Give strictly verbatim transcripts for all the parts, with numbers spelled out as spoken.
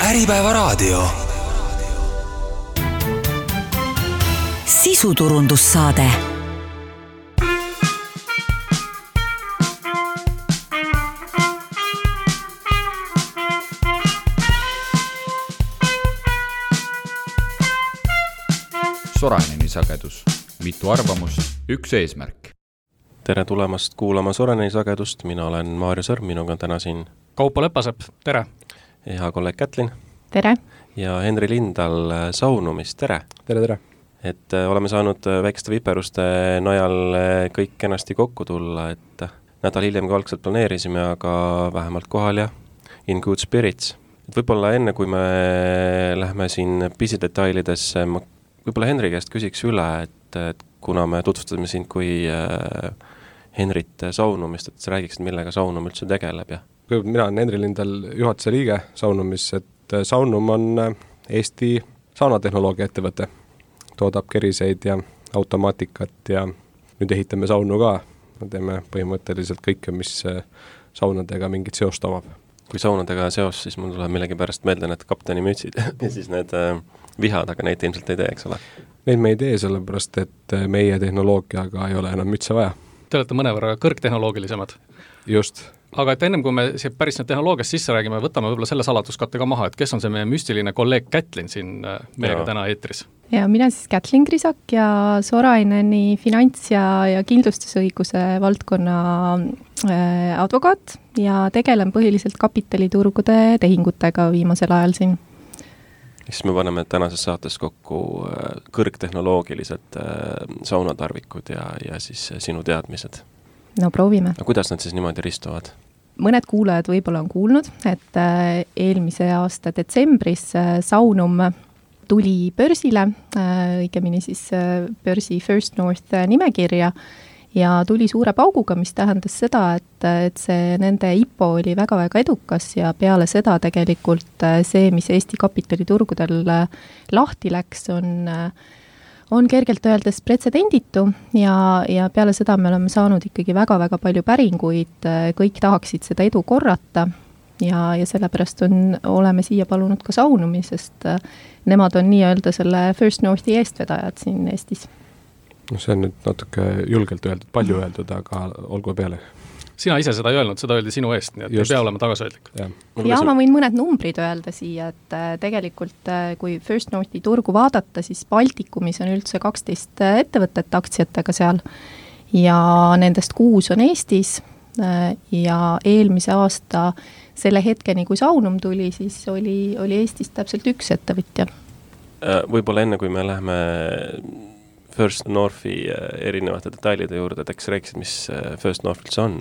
Äripäevaraadio. Sisuturundussaade. Soraineni sagedus. Mitu arvamust, üks eesmärk. Tere tulemast kuulama Soraineni sagedust. Mina olen Maarja Sõrm, minuga on täna siin Kaupo Lepasepp, tere! Hea kolleeg Kätlin. Tere! Ja Henri Lindal Saunumist, tere! Tere, tere! Et oleme saanud väikeste viperuste najal kõik kenasti kokku tulla, et nädal hiljem kui algselt planeerisime, aga vähemalt kohal ja in good spirits. Et võib-olla enne, kui me lähme siin pisidetailidesse, ma võib-olla Henri käest küsiks üle, et, et kuna me tutvustame sind kui äh, Henrit Saunumist, et sa räägiksid, millega Saunum üldse tegeleb. Ja? Mina olen Henri Lindal juhatuse liige Saunumis, et Saunum on Eesti saunatehnoloogia ettevõte. Toodab keriseid ja automaatikat ja nüüd ehitame saunu ka. Me teeme põhimõtteliselt kõike, mis saunadega mingit seost omab. Kui saunadega seos, siis mul tuleb millegi pärast meelde need kapteni mütsid ja siis need äh, vihad, aga neid ilmselt ei tee, eks ole? Neid me ei tee, sellepärast, et meie tehnoloogiaga ei ole enam mütse vaja. Te olete mõnevõrra kõrgtehnoloogilisemad. Just. Aga et ennem kui me päris nüüd tehnoloogiast sisse räägime, võtame võib-olla selle saladuskatte ka maha, et kes on see meie müstiline kolleeg Kätlin siin meiega täna eetris? Ja mina siis Kätlin Krisak ja Soraineni finants- ja, ja kindlustusõiguse valdkonna äh, advokaat ja tegelen põhiliselt kapitaliturgude tehingutega viimasel ajal siin. Siis me paneme tänases saates kokku kõrgtehnoloogilised saunatarvikud ja, ja siis sinu teadmised. No proovime. Aga kuidas nad siis niimoodi ristuvad? Mõned kuulajad võib-olla on kuulnud, et eelmise aasta detsembris Saunum tuli börsile, õigemini siis börsi First North nimekirja ja tuli suure pauguga, mis tähendas seda, et, et see nende I P O oli väga-väga edukas ja peale seda tegelikult see, mis Eesti kapitaliturgudel lahti läks, on on kergelt öeldes pretsedenditu ja, ja peale seda me oleme saanud ikkagi väga-väga palju päringuid, kõik tahaksid seda edu korrata ja, ja sellepärast on, oleme siia palunud ka Saunumi, sest nemad on nii-öelda selle First Northi eestvedajad siin Eestis. No see on nüüd natuke julgelt öeldud, palju öeldud, aga olgu peale. Sina ise seda ei öelnud, seda öeldi sinu eest, nii et Just. ei pea olema tagasihoidlik. Ja, ja ma võin mõned numbrid öelda siia, et tegelikult kui First Northi turgu vaadata, siis Baltikumis on üldse kaksteist ettevõtet aktsiatega seal ja nendest kuus on Eestis ja eelmise aasta selle hetkeni, kui Saunum tuli, siis oli, oli Eestis täpselt üks ettevõtja. Võib-olla enne, kui me lähme First Northi erinevate detailide juurde, et eks rääkisid, mis First North üldse on?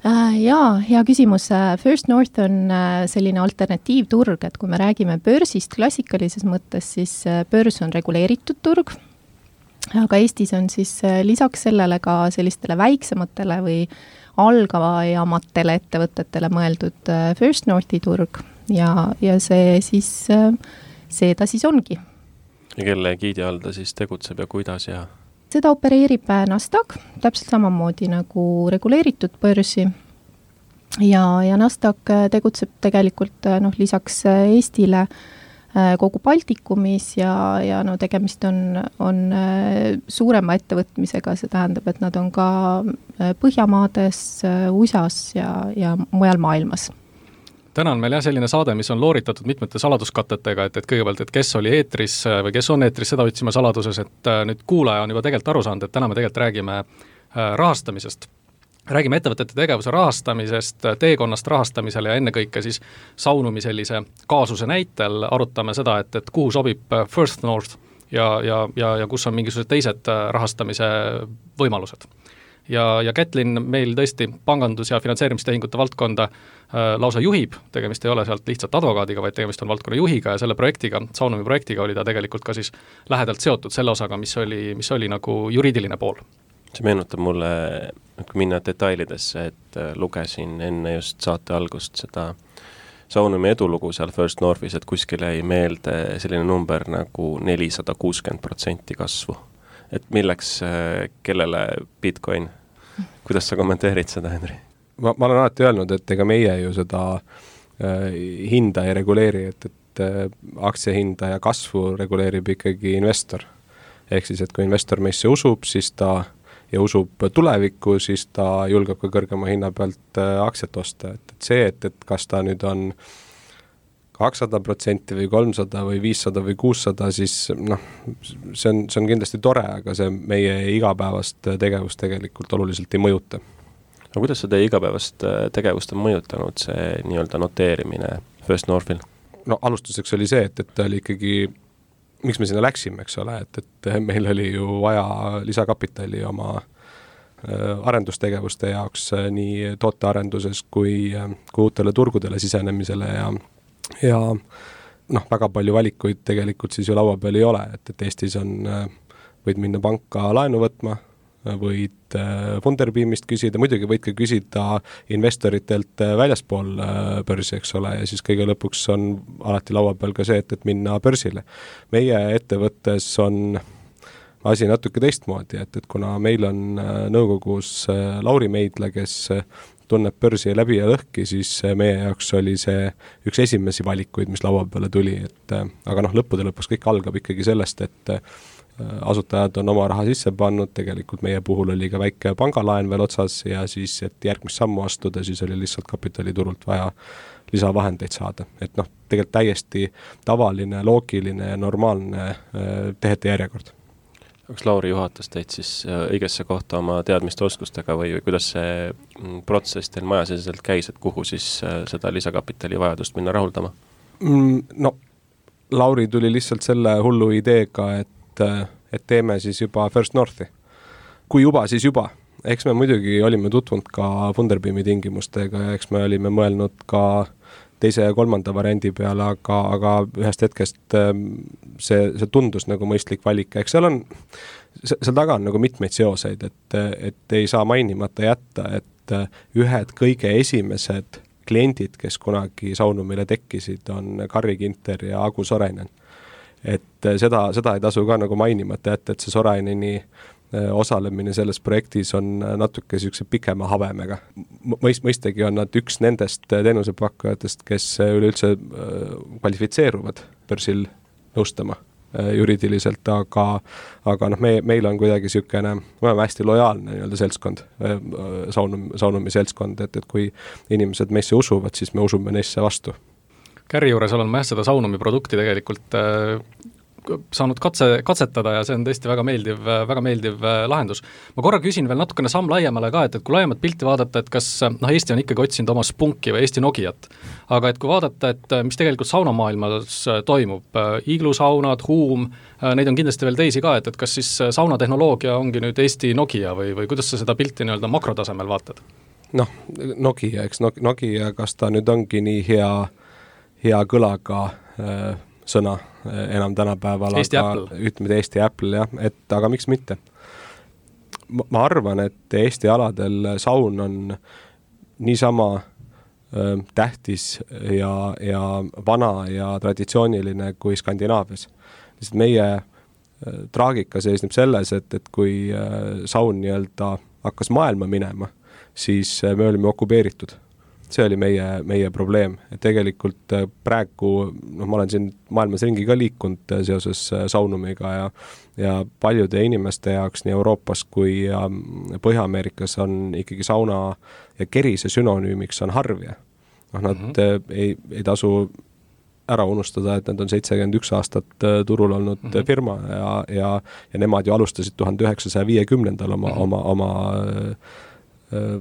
Jaa, hea küsimus. First North on selline alternatiivturg, et kui me räägime börsist klassikalises mõttes, siis börs on reguleeritud turg, aga Eestis on siis lisaks sellele ka sellistele väiksematele või algavajamatele ettevõtetele mõeldud First Northi turg ja, ja see siis, see ta siis ongi. Ja kelle giidi all ta siis tegutseb ja kuidas ja... Seda opereerib Nasdaq, täpselt samamoodi nagu reguleeritud börsi ja, ja Nasdaq tegutseb tegelikult noh, lisaks Eestile kogu Baltikumis ja, ja no, tegemist on, on suurema ettevõtmisega, see tähendab, et nad on ka Põhjamaades, U S As ja, ja mujal maailmas. Täna on meil jah selline saade, mis on looritatud mitmete saladuskatetega, et, et kõigepealt, et kes oli eetris või kes on eetris, seda otsime saladuses, et nüüd kuulaja on juba tegelikult aru saanud, et täna me tegelikult räägime rahastamisest. Räägime ettevõtete tegevuse rahastamisest, teekonnast rahastamisele ja ennekõike siis Saunumi sellise kaasuse näitel arutame seda, et, et kuhu sobib First North ja, ja, ja, ja kus on mingisugused teised rahastamise võimalused. Ja, ja Kätlin meil tõesti pangandus- ja finantseerimistehingute valdkonda äh, lausa juhib, tegemist ei ole sealt lihtsalt advokaadiga, vaid tegemist on valdkonna juhiga ja selle projektiga, Saunumi projektiga oli ta tegelikult ka siis lähedalt seotud selle osaga, mis oli, mis oli nagu juriidiline pool. See meenutab mulle, kui minna detailidesse, et lugesin enne just saate algust seda Saunumi edulugu seal First Northis, et kuskil jäi meelde selline number nagu nelisada kuuskümmend protsenti kasvu. Et milleks, kellele Bitcoin? Kuidas sa kommenteerid seda, Henri? Ma, ma olen alati öelnud, et ega meie ju seda hinda ei reguleeri, et, et aktsiahinda ja kasvu reguleerib ikkagi investor. Ehk siis, et kui investor meisse usub, siis ta ja usub tulevikku, siis ta julgeb ka kõrgema hinna pealt aktsiat osta. Et, et see, et, et kas ta nüüd on kakssada protsenti või kolmsada või viissada või kuussada, siis noh, see on, see on kindlasti tore, aga see meie igapäevast tegevust tegelikult oluliselt ei mõjuta. No kuidas see teie igapäevast tegevust on mõjutanud, see nii-öelda noteerimine First Northil? No alustuseks oli see, et, et oli ikkagi miks me sinna läksime, eks ole, et, et meil oli ju vaja lisakapitali oma arendustegevuste jaoks nii tootearenduses kui, kui uutele turgudele sisenemisele ja, ja noh, väga palju valikuid tegelikult siis ju laua peal ei ole, et, et Eestis on, võid minna panka laenu võtma, võid Funderbeamist küsida, muidugi võid ka küsida investoritelt väljaspool börsi, eks ole, ja siis kõige lõpuks on alati laua peal ka see, et, et minna börsile. Meie ettevõttes on asi natuke teistmoodi, et, et kuna meil on nõukogus Lauri Meidla, kes tunneb börsi läbi ja lõhki, siis meie jaoks oli see üks esimesi valikuid, mis laua peale tuli, et aga noh, lõppude lõpus kõik algab ikkagi sellest, et asutajad on oma raha sisse pannud, tegelikult meie puhul oli ka väike pangalaen veel otsas ja siis, et järgmist sammu astuda, siis oli lihtsalt kapitaliturult vaja lisavahendeid saada. Et noh, tegelikult täiesti tavaline, loogiline ja normaalne tehete järjekord. Kas Lauri juhatas teid siis õigesse kohta oma teadmiste oskustega või, või kuidas see protsess teil majasiselt käis, et kuhu siis seda lisakapitali vajadust minna rahuldama? No, Lauri tuli lihtsalt selle hullu ideega, et et teeme siis juba First Northi. Kui juba, siis juba. Eks me muidugi olime tutvunud ka Funderbeami tingimustega ja eks me olime mõelnud ka teise ja kolmanda variandi peale, aga, aga ühest hetkest see, see tundus nagu mõistlik valik. Eks seal on, seal taga on nagu mitmeid seoseid, et, et ei saa mainimata jätta, et ühed kõige esimesed kliendid, kes kunagi Saunumile tekkisid, on Karri Ginter ja Agu Sorainen. Et seda, seda ei tasu ka nagu mainimata jätta, et see Soraineni osalemine selles projektis on natuke sükse pikema habemega. Mõist, mõistagi on nad üks nendest teenusepakkujatest, kes üleüldse kvalifitseeruvad börsil nõustama juriidiliselt, aga, aga noh, me, meil on kuidagi sükene, me oleme hästi lojaalne nii-öelda seltskond, saunum, saunumi seltskond, et, et kui inimesed meisse usuvad, siis me usume neisse vastu. Kärri juures olen ma jah seda Saunumi produkti tegelikult äh, saanud katse, katsetada ja see on tõesti väga meeldiv, väga meeldiv lahendus. Ma korra küsin veel natukene samm laiemale ka, et, et kui laiemat pilti vaadata, et kas noh, Eesti on ikkagi otsinud oma Spunki või Eesti Nokiat, aga et kui vaadata, et mis tegelikult saunamaailmas toimub, iglusaunad, huum, neid on kindlasti veel teisi ka, et, et kas siis saunatehnoloogia ongi nüüd Eesti Nokia või, või kuidas sa seda pilti nii-öelda makrotasemel vaatad? Noh, Nokia, eks Nokia, kas ta nüüd ongi nii hea hea kõlaga äh, sõna äh, enam tänapäeval, Eesti aga Apple. ütleme Eesti Apple, jah, et aga miks mitte? Ma, ma arvan, et Eesti aladel saun on niisama äh, tähtis ja, ja vana ja traditsiooniline kui Skandinaavias. Lihtsalt meie äh, traagika seisneb selles, et, et kui äh, saun nii-öelda hakkas maailma minema, siis äh, me olime okupeeritud. See oli meie, meie probleem, et tegelikult praegu, noh, ma olen siin maailmas ringi ka liikunud seoses saunumiga ja, ja paljude inimeste jaoks nii Euroopas kui Põhja-Ameerikas on ikkagi sauna ja kerise sünonüümiks on harvja. Noh, nad mm-hmm. ei, ei tasu ära unustada, et nad on seitsekümmend üks aastat turul olnud mm-hmm. firma ja, ja, ja nemad ju alustasid tuhande üheksasaja viiekümnendal oma, mm-hmm. oma, oma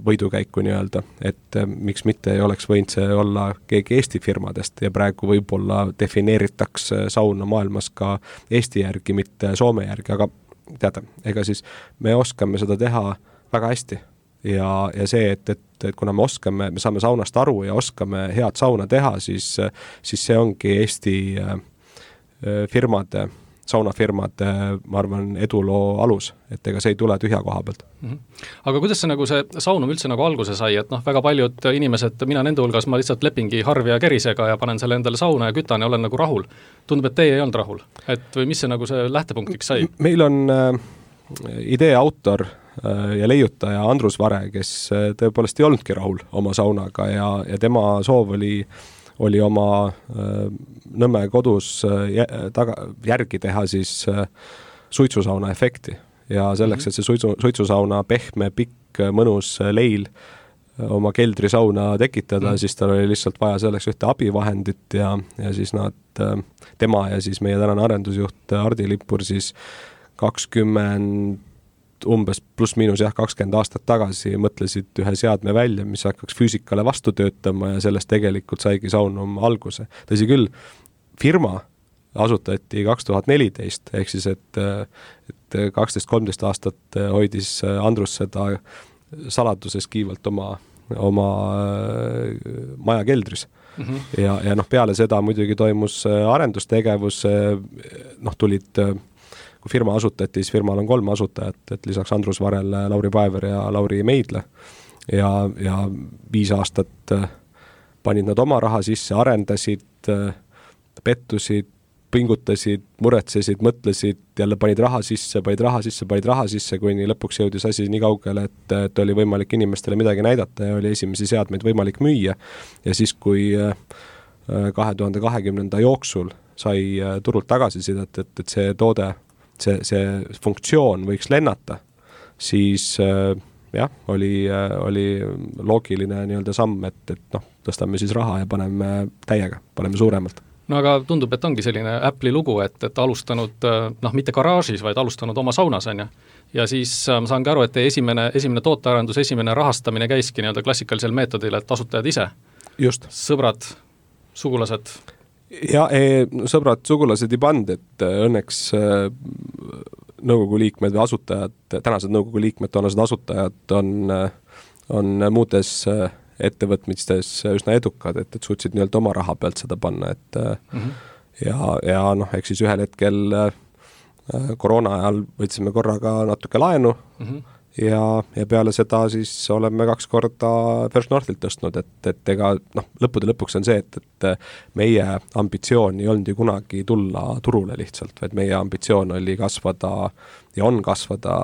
võidukäiku nii-öelda, et miks mitte ei oleks võinud see olla keegi Eesti firmadest ja praegu võib-olla defineeritaks sauna maailmas ka Eesti järgi, mitte Soome järgi, aga teada, ega siis me oskame seda teha väga hästi ja, ja see, et, et, et kuna me oskame, me saame saunast aru ja oskame head sauna teha, siis, siis see ongi Eesti firmade saunafirmad, ma arvan, eduloo alus, et ega see ei tule tühja koha pealt. Mm-hmm. Aga kuidas see, nagu see saunum üldse nagu alguse sai, et noh, väga paljud inimesed, mina nende hulgas, ma lihtsalt lepingi harvi ja kerisega ja panen selle endale sauna ja kütan ja olen nagu rahul. Tundub, et teie ei olnud rahul. Et või mis see nagu see lähtepunktiks sai? Meil on äh, idee autor äh, ja leiutaja Andrus Vare, kes äh, tõepoolest ei olnudki rahul oma saunaga ja, ja tema soov oli oli oma Nõmme kodus taga, järgi teha siis suitsusauna efekti ja selleks, et see suitsu, suitsusauna pehme, pikk, mõnus leil oma keldrisauna tekitada mm., siis tal oli lihtsalt vaja selleks ühte abivahendit ja, ja siis nad, tema ja siis meie tänane arendusjuht Hardi Lippur siis kakskümmend umbes pluss miinus jah, kakskümmend aastat tagasi mõtlesid ühe seadme välja, mis hakkaks füüsikale vastu töötama ja sellest tegelikult saigi Saunum alguse. Tõsi küll, firma asutati kaks tuhat neliteist, ehk siis, et, et kaksteist kolmteist aastat hoidis Andrus seda saladuses kiivalt oma, oma maja keldris. Mm-hmm. Ja, ja noh, peale seda muidugi toimus arendustegevus, noh, tulid kui firma asutati, siis firmal on kolm asutajat, et lisaks Andrus Varel, Lauri Paever ja Lauri Meidle ja, ja viis aastat panid nad oma raha sisse, arendasid, pettusid, pingutasid, muretsesid, mõtlesid, jälle panid raha sisse, panid raha sisse, panid raha sisse, kuni lõpuks jõudis asi nii kaugele, et, et oli võimalik inimestele midagi näidata ja oli esimesi seadmeid võimalik müüa. Ja siis, kui kahe tuhande kahekümnenda jooksul sai turult tagasisidet, et, et see toode see, see funktsioon võiks lennata, siis jah, oli, oli loogiline nii-öelda samm, et, et noh, tõstame siis raha ja paneme täiega, paneme suuremalt. No aga tundub, et ongi selline Apple'i lugu, et, et alustanud, noh, mitte garaažis, vaid alustanud oma saunas, on ju. Ja siis ma saangi aru, et esimene, esimene tootearendus, esimene rahastamine käiski nii-öelda klassikalisel meetodil, et asutajad ise. Just. Sõbrad, sugulased. Ja e, sõbrad, sugulased ei pand, et õnneks nõukogu liikmed või asutajad, tänased nõukogu liikmed, toonased asutajad on, on muudes ettevõtmistes üsna edukad, et, et suutsid nii-öelda oma raha pealt seda panna, et mm-hmm. ja, ja noh, eks siis ühel hetkel koroona ajal võtsime korraga natuke laenu mm-hmm. ja, ja peale seda siis oleme kaks korda First Northilt tõstnud, et, et ega noh, lõppude lõpuks on see, et, et meie ambitsioon ei olnud ju kunagi tulla turule lihtsalt, vaid meie ambitsioon oli kasvada ja on kasvada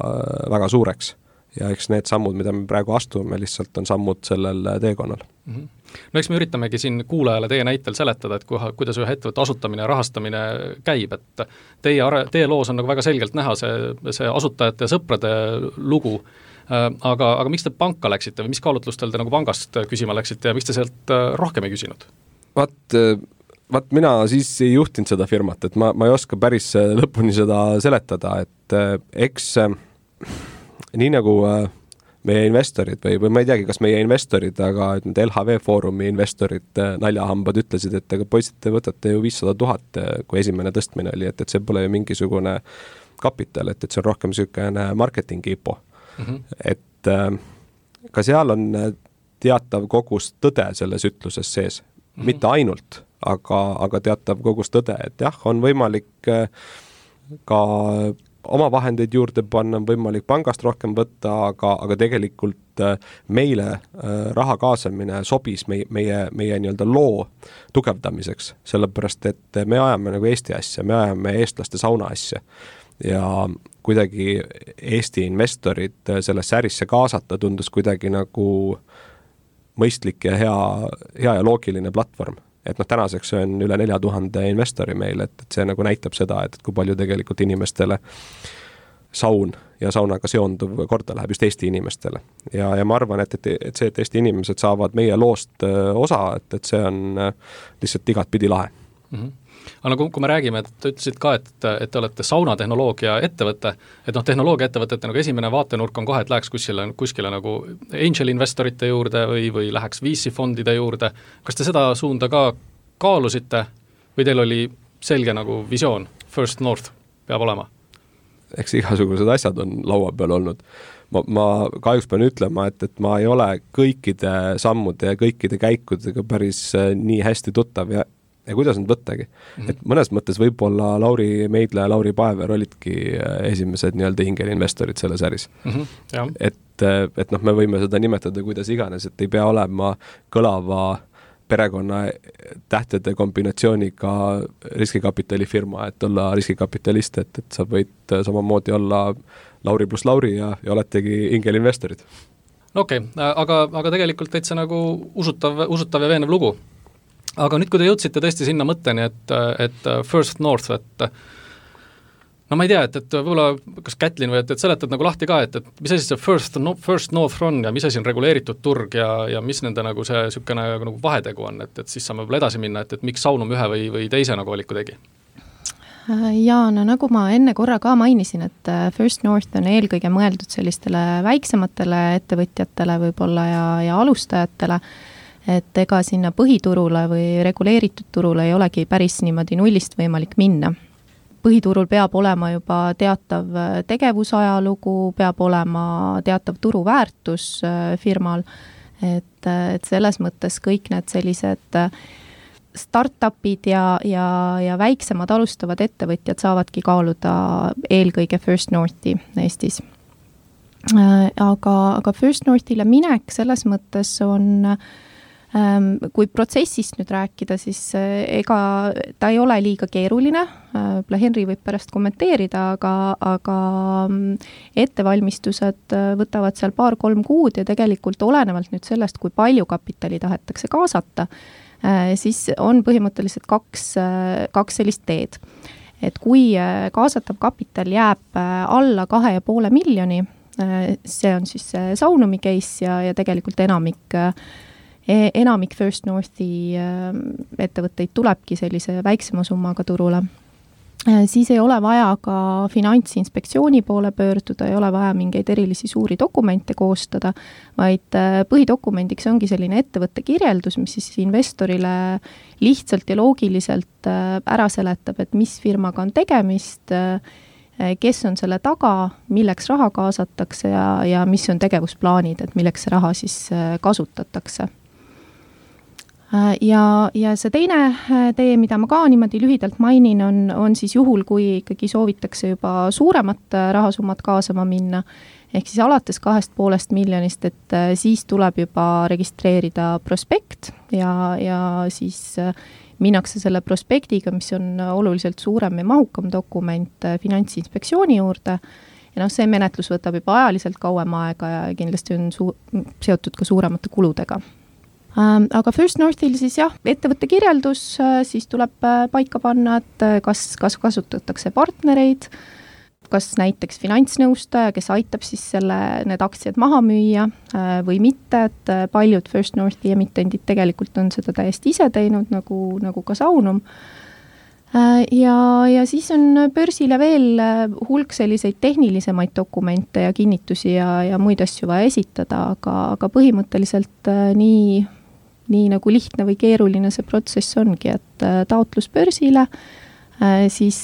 väga suureks. Ja eks need sammud, mida me praegu astume, lihtsalt on sammud sellel teekonnal. Mm-hmm. No eks me üritamegi siin kuulajale teie näitel seletada, et kuha, kuidas ühe ettevõtte asutamine ja rahastamine käib, et teie, teie loos on nagu väga selgelt näha see, see asutajate ja sõprade lugu, aga, aga miks te panka läksite või mis kaalutlustel te nagu pangast küsima läksite ja miks te sealt rohkem ei küsinud? Vaat, vaat mina siis ei juhtinud seda firmat, et ma, ma ei oska päris lõpuni seda seletada, et eks nii nagu meie investorid või, või ma ei teagi, kas meie investorid, aga nüüd L H V Foorumi investorid naljahambad ütlesid, et ega poisid, te võtate ju viissada tuhat, kui esimene tõstmine oli, et, et see pole ju mingisugune kapital, et, et see on rohkem niisugune marketingi ipo. Mm-hmm. Et ka seal on teatav kogus tõde selles ütluses sees. Mm-hmm. Mitte ainult, aga, aga teatav kogus tõde, et jah, on võimalik ka oma vahendeid juurde panna, on võimalik pangast rohkem võtta, aga, aga tegelikult meile raha kaasamine sobis meie, meie, meie nii-öelda loo tugevdamiseks, sellepärast et me ajame nagu Eesti asja, me ajame eestlaste sauna asja ja kuidagi Eesti investorid sellesse ärisse kaasata tundus kuidagi nagu mõistlik ja hea, hea ja loogiline platvorm. Et noh, tänaseks on üle nelja tuhande investori meil, et, et see nagu näitab seda, et, et kui palju tegelikult inimestele saun ja saunaga seonduv korda läheb just Eesti inimestele. Ja, ja ma arvan, et, et, et see, et Eesti inimesed saavad meie loost osa, et, et see on lihtsalt igat pidi lahe. Mm-hmm. Aga kui, kui me räägime, et te ütlesid ka, et, et te olete saunatehnoloogia ettevõte, et noh, tehnoloogia ettevõtete nagu esimene vaatenurk on kohe, et läheks kuskile, kuskile nagu angel investorite juurde või, või läheks V C fondide juurde. Kas te seda suunda ka kaalusite või teil oli selge nagu visioon, First North peab olema? Eks igasugused asjad on laua peal olnud. Ma, ma kahjuks pean ütlema, et, et ma ei ole kõikide sammude ja kõikide käikudega päris nii hästi tuttav ja ja kuidas nad võttagi. Mm-hmm. Et mõnes mõttes võib-olla Lauri Meidle ja Lauri Paever olidki esimesed nii-öelda hingelinvestorid selles äris. Mm-hmm. Et, et noh, me võime seda nimetada kuidas iganes, et ei pea olema kõlava perekonna tähtede kombinatsiooniga riskikapitalifirma, et olla riskikapitalist, et, et sa võid samamoodi olla Lauri pluss Lauri ja, ja oletegi hingelinvestorid. Okei, okay, aga, aga tegelikult täitsa nagu usutav, usutav ja veenev lugu. aga nüüd, kui te jõudsite tõesti sinna mõtteni, et, et First North, et no ma ei tea, et, et võib-olla kas Kätlin või et, et seletad nagu lahti ka, et, et mis asi see First, no, first North on ja mis asi on reguleeritud turg ja, ja mis nende nagu see niisugune nagu vahetegu on, et, et siis saame võib-olla edasi minna, et, et miks Saunum ühe või, või teise nagu valiku tegi? Jaa, no nagu ma enne korra ka mainisin, et First North on eelkõige mõeldud sellistele väiksematele ettevõtjatele võib-olla ja, ja alustajatele, et ega sinna põhiturule või reguleeritud turule ei olegi päris niimoodi nullist võimalik minna. Põhiturul peab olema juba teatav tegevusajalugu, peab olema teatav turuväärtus firmal, et, et selles mõttes kõik need sellised startupid ja, ja, ja väiksemad alustavad ettevõtjad saavadki kaaluda eelkõige First Northi Eestis. Aga, aga First Northile minek selles mõttes on kui protsessist nüüd rääkida, siis ega ta ei ole liiga keeruline, Henri võib pärast kommenteerida, aga, aga ettevalmistused võtavad seal paar-kolm kuud ja tegelikult olenevalt nüüd sellest, kui palju kapitali tahetakse kaasata, siis on põhimõtteliselt kaks, kaks sellist teed. Et kui kaasatav kapital jääb alla kahe ja poole miljoni, see on siis Saunumi case ja, ja tegelikult enamik enamik First Northi ettevõtteid tulebki sellise väiksema summaga turule, siis ei ole vaja ka finantsinspektsiooni poole pöörduda, ei ole vaja mingeid erilisi suuri dokumente koostada, vaid põhidokumendiks ongi selline ettevõtte kirjeldus, mis siis investorile lihtsalt ja loogiliselt ära seletab, et mis firmaga on tegemist, kes on selle taga, milleks raha kaasatakse ja, ja mis on tegevusplaanid, et milleks see raha siis kasutatakse. Ja, ja see teine tee, mida ma ka niimoodi lühidalt mainin, on, on siis juhul, kui ikkagi soovitakse juba suuremat rahasummat kaasama minna, ehk siis alates kahest poolest miljonist, et siis tuleb juba registreerida prospekt ja, ja siis minnakse selle prospektiga, mis on oluliselt suurem ja mahukam dokument finantsinspektsiooni juurde. Ja noh, see menetlus võtab juba ajaliselt kauem aega ja kindlasti on su- seotud ka suuremate kuludega. Aga First Northil siis jah, ettevõtte kirjeldus, siis tuleb paika panna, et kas, kas kasutatakse partnereid, kas näiteks finantsnõustaja, kes aitab siis selle, need aktsiad maha müüa või mitte, et paljud First Northi emitendid tegelikult on seda täiesti ise teinud, nagu, nagu ka Saunum. Ja, ja siis on börsile veel hulk selliseid tehnilisemaid dokumente ja kinnitusi ja, ja muid asju vaja esitada, aga, aga põhimõtteliselt nii nii nagu lihtne või keeruline see protsess ongi, et taotlus börsile, siis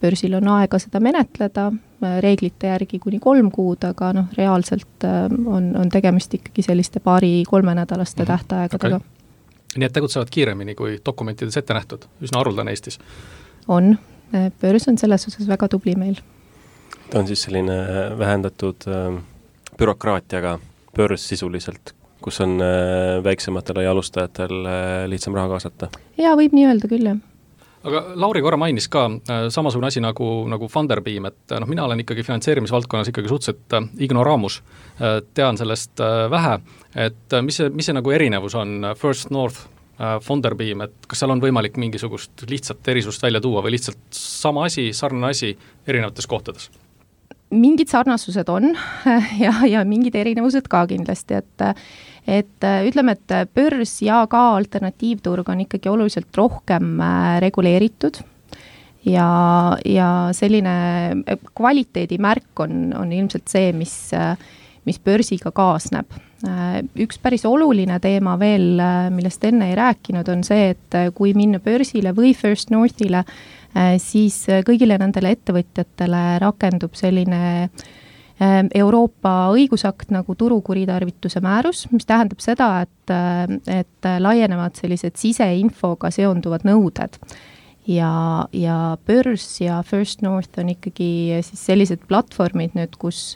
börsil on aega seda menetleda, reeglite järgi kuni kolm kuud, aga noh, reaalselt on, on tegemist ikkagi selliste paari-kolme nädalaste tähtaegadega. Okay. Nii et tegutsevad kiiremini kui dokumentides ette nähtud, üsna haruldane Eestis? On, börs on selles osas väga tubli meil. Ta on siis selline vähendatud bürokraatiaga börs sisuliselt, kus on väiksematel ja alustajatel lihtsam raha kaasata? Jaa, võib nii öelda küll, jah. Aga Lauri korra mainis ka samasugune asi nagu, nagu Funderbeam, et noh, mina olen ikkagi finantseerimisvaldkonnas ikkagi suhteliselt ignoraamus, tean sellest vähe, et mis see, mis see nagu erinevus on First North, Funderbeam, et kas seal on võimalik mingisugust lihtsat erisust välja tuua või lihtsalt sama asi, sarnane asi erinevates kohtades? Mingid sarnasused on ja, ja mingid erinevused ka kindlasti, et, et ütleme, et börs ja ka alternatiivturg on ikkagi oluliselt rohkem reguleeritud ja, ja selline kvaliteedimärk on, on ilmselt see, mis, mis börsiga kaasneb. Üks päris oluline teema veel, millest enne ei rääkinud, on see, et kui minna börsile või First Northile, siis kõigile nendele ettevõtjatele rakendub selline Euroopa õigusakt nagu turukuritarvituse määrus, mis tähendab seda, et, et laienevad sellised siseinfoga seonduvad nõuded. Ja, ja börs ja First North on ikkagi siis sellised platvormid nüüd, kus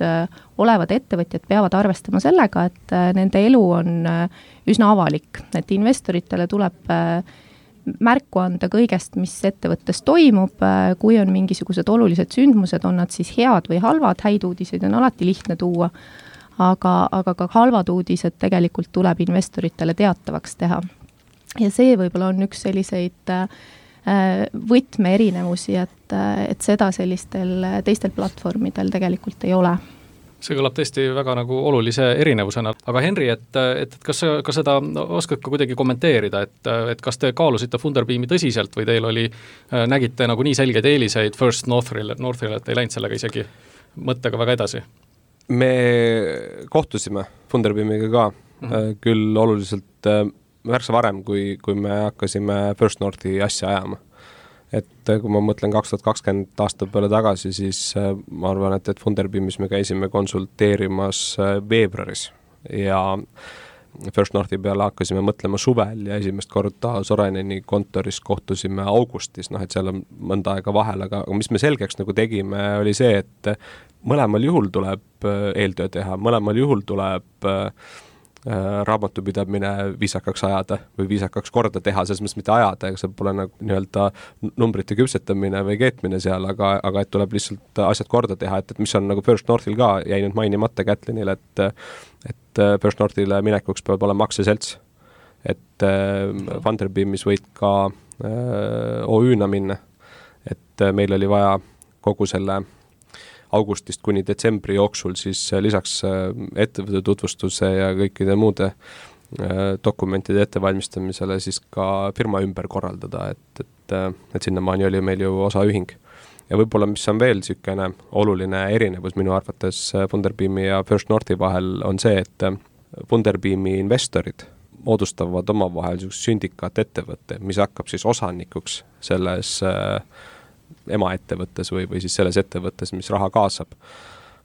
olevad ettevõtjad peavad arvestama sellega, et nende elu on üsna avalik, et investoritele tuleb märku anda kõigest, mis ettevõttes toimub, kui on mingisugused olulised sündmused, on nad siis head või halvad, häid uudiseid on alati lihtne tuua, aga, aga ka halvad uudised tegelikult tuleb investoritele teatavaks teha. ja see võib-olla on üks selliseid võtmeerinevusi, et, et seda sellistel teistel platvormidel tegelikult ei ole. See kõlab tõesti väga nagu olulise erinevusena, aga Henri, et, et, et kas sa ka seda oskad ka kuidagi kommenteerida, et, et kas te kaalusite Funderbeami tõsiselt või teil oli, nägite nagu nii selgeid eeliseid First Northile, Northile, et ei läinud sellega isegi mõttega väga edasi? Me kohtusime Funderbeamiga ka, mm-hmm. küll oluliselt märksa varem, kui, kui me hakkasime First Northi asja ajama. Et kui ma mõtlen kaks tuhat kakskümmend aasta peale tagasi, siis ma arvan, et, et Funderbeamis me käisime konsulteerimas veebruaris ja First Northi peale hakkasime mõtlema suvel ja esimest korda Soraineni kontoris kohtusime augustis, noh et seal on mõnda aega vahel, aga mis me selgeks nagu tegime, oli see, et mõlemal juhul tuleb eeltöö teha, mõlemal juhul tuleb raamatupidamine viisakaks ajada või viisakaks korda teha, selles mõttes mitte ajada, ega see pole nagu nii-öelda numbrite küpsetamine või keetmine seal, aga, aga et tuleb lihtsalt asjad korda teha, et, et mis on nagu First Northil ka jäi nüüd mainimata Kätlinil, et, et First Northile minekuks peab olema aktsiaselts, et Funderbeamis võid ka äh, O Ü-na minna, et meil oli vaja kogu selle augustist kuni detsembri jooksul siis lisaks ettevõtte tutvustuse ja kõikide muude dokumentide ettevalmistamisele siis ka firma ümber korraldada, et, et, et sinnamaani oli meil ju osaühing. Ja võib-olla, mis on veel sükene oluline erinevus minu arvates Funderbeami ja First Northi vahel on see, et Funderbeami investorid moodustavad omavahel sündikaat ettevõtte, mis hakkab siis osanikuks selles emaettevõttes või, või siis selles ettevõttes, mis raha kaasab.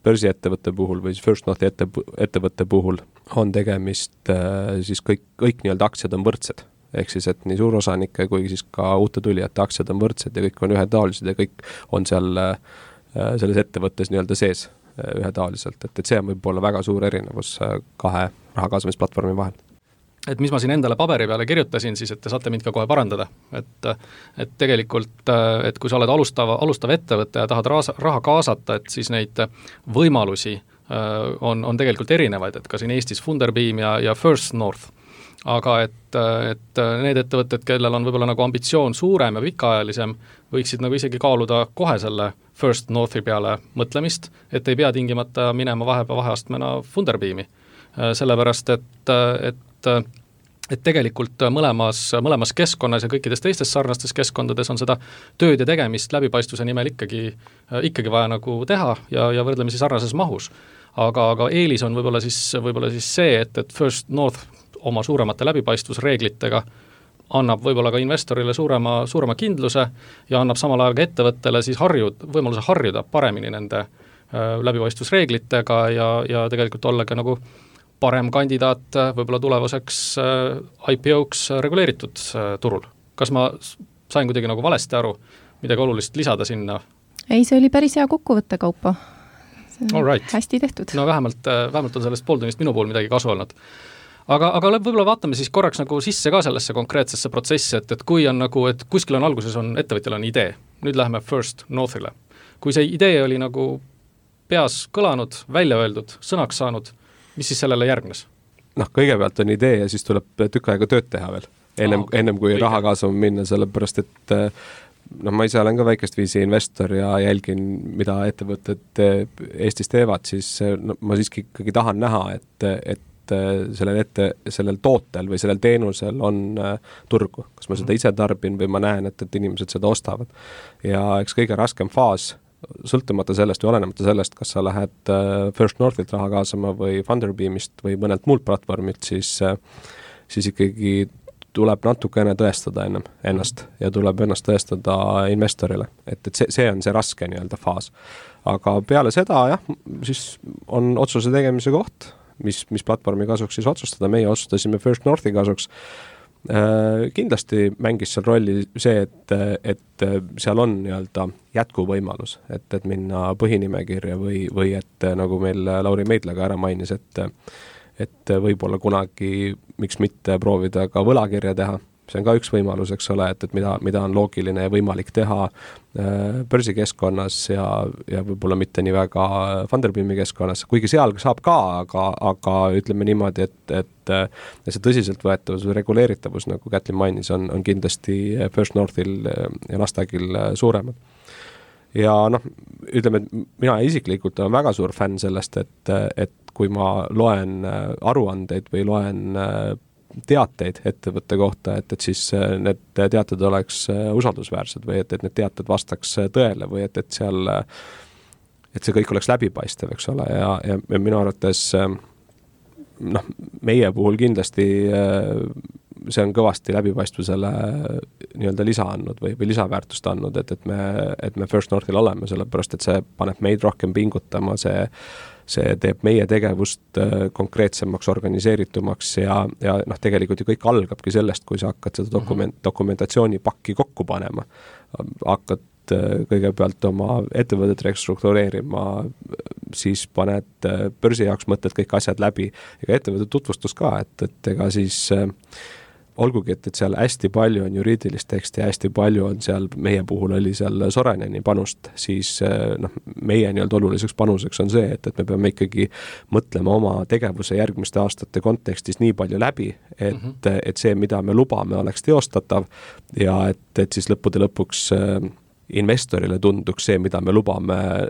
Börsiettevõtte puhul või siis First Northi ette, ettevõtte puhul on tegemist siis kõik, kõik nii-öelda aktsiad on võrdsed. Ehk siis, et nii suurosanike kui siis ka uute tulijate aktsiad on võrdsed ja kõik on ühetaolised ja kõik on seal selles ettevõttes nii-öelda sees ühetaoliselt. Et, et see on võib-olla väga suur erinevus kahe rahakaasamisplatvormi vahel. Et mis ma siin endale paberi peale kirjutasin, siis et te saate mind ka kohe parandada. Et, et tegelikult, et kui sa oled alustava, alustav ettevõte ja tahad raha, raha kaasata, et siis neid võimalusi on, on tegelikult erinevaid, et ka siin Eestis Funderbeam ja, ja First North. Aga et, et need ettevõtted, kellel on võib-olla nagu ambitsioon suurem ja pikaajalisem, võiksid nagu isegi kaaluda kohe selle First Northi peale mõtlemist, et ei pea tingimata minema vahepeal vaheastmena Funderbeami. Sellepärast, et, et et tegelikult mõlemas, mõlemas keskkonnas ja kõikides teistes sarnastes keskkondades on seda tööd ja tegemist läbipaistvuse nimel ikkagi, ikkagi vaja nagu teha ja, ja võrdlemisi sarnases mahus. Aga, aga eelis on võib-olla siis, võib-olla siis see, et, et First North oma suuremate läbipaistvusreeglitega annab võib-olla ka investorile suurema, suurema kindluse ja annab samal ajal ka ettevõttele siis harjud, võimaluse harjuda paremini nende äh, läbipaistvusreeglitega ja, ja tegelikult olla ka nagu parem kandidaat võib-olla tulevaseks I P O-ks reguleeritud turul. Kas ma sain kuidagi nagu valesti aru, midagi olulist lisada sinna? Ei, see oli päris hea kokkuvõtte, Kaupo. Right. Hästi tehtud. No vähemalt, vähemalt on sellest pooltunnist minu puhul midagi kasu olnud. Aga, aga võib-olla vaatame siis korraks nagu sisse ka sellesse konkreetsesse protsessi, et, et kui on nagu, et kuskil on alguses on, ettevõtjal on idee, nüüd läheme First Northile. Kui see idee oli nagu peas kõlanud, välja öeldud, sõnaks saanud, mis siis sellele järgnes? Noh, kõigepealt on idee ja siis tuleb tükk aega tööd teha veel, ennem, ah, okay. ennem kui raha kaasama minna, sellepärast et noh, ma ise olen ka väikest viisi investor ja jälgin, mida ettevõtted Eestis teevad, siis no, ma siiski ikkagi tahan näha, et, et sellel, ette, sellel tootel või sellel teenusel on turgu. Kas ma seda ise tarbin või ma näen, et, et inimesed seda ostavad. Ja eks kõige raskem faas sõltumata sellest või olenemata sellest, kas sa lähed First Northilt raha kaasama või Funderbeamist või mõnelt muult platvormilt, siis, siis ikkagi tuleb natukene tõestada ennem ennast ja tuleb ennast tõestada investorile. Et, et see, see on see raske nii-öelda faas. Aga peale seda, jah, siis on otsuse tegemise koht, mis, mis platvormi kasuks siis otsustada. Meie otsustasime First Northi kasuks. Kindlasti mängis seal rolli see, et, et seal on nii-öelda jätkuvõimalus, et, et minna põhinimekirja või, või et nagu meil Lauri Meidla ka ära mainis, et, et võib-olla kunagi, miks mitte proovida ka võlakirja teha see on ka üks võimalus, eks ole, et, et mida, mida on loogiline ja võimalik teha äh, börsikeskkonnas ja, ja võib-olla mitte nii väga Funderbeami keskkonnas, kuigi seal saab ka, aga, aga ütleme niimoodi, et, et see tõsiseltvõetavus või reguleeritavus, nagu Kätlin mainis, on, on kindlasti First Northil ja Nasdaqil suuremad. Ja noh, ütleme, et mina isiklikult olen väga suur fänn sellest, et, et kui ma loen aruandeid või loen teateid ettevõtte kohta, et, et siis need teated oleks usaldusväärsed või et, et need teated vastaks tõele või et, et seal, et see kõik oleks läbipaistev, eks ole, ja, ja, ja minu arvates noh, meie puhul kindlasti see on kõvasti läbipaistvusele nii-öelda lisa andnud või, või lisaväärtust andnud, et, et me, et me First Northil oleme, sellepärast et see paneb meid rohkem pingutama, see see teeb meie tegevust konkreetsemaks, organiseeritumaks ja, ja noh, tegelikult ju kõik algabki sellest, kui sa hakkad seda dokument, dokumentatsioonipakki kokku panema. Hakkad kõigepealt oma ettevõtet restruktureerima, siis paned börsi jaoks mõtled kõik asjad läbi, ega ettevõtte tutvustus ka, et, et ega siis olgugi, et, et seal hästi palju on juriidilist teksti ja hästi palju on seal, meie puhul oli seal Soraineni panust, siis noh, meie nii-öelda oluliseks panuseks on see, et, et me peame ikkagi mõtlema oma tegevuse järgmiste aastate kontekstis nii palju läbi, et, mm -hmm. et see, mida me lubame, oleks teostatav ja et, et siis lõppude lõpuks investorile tunduks see, mida me lubame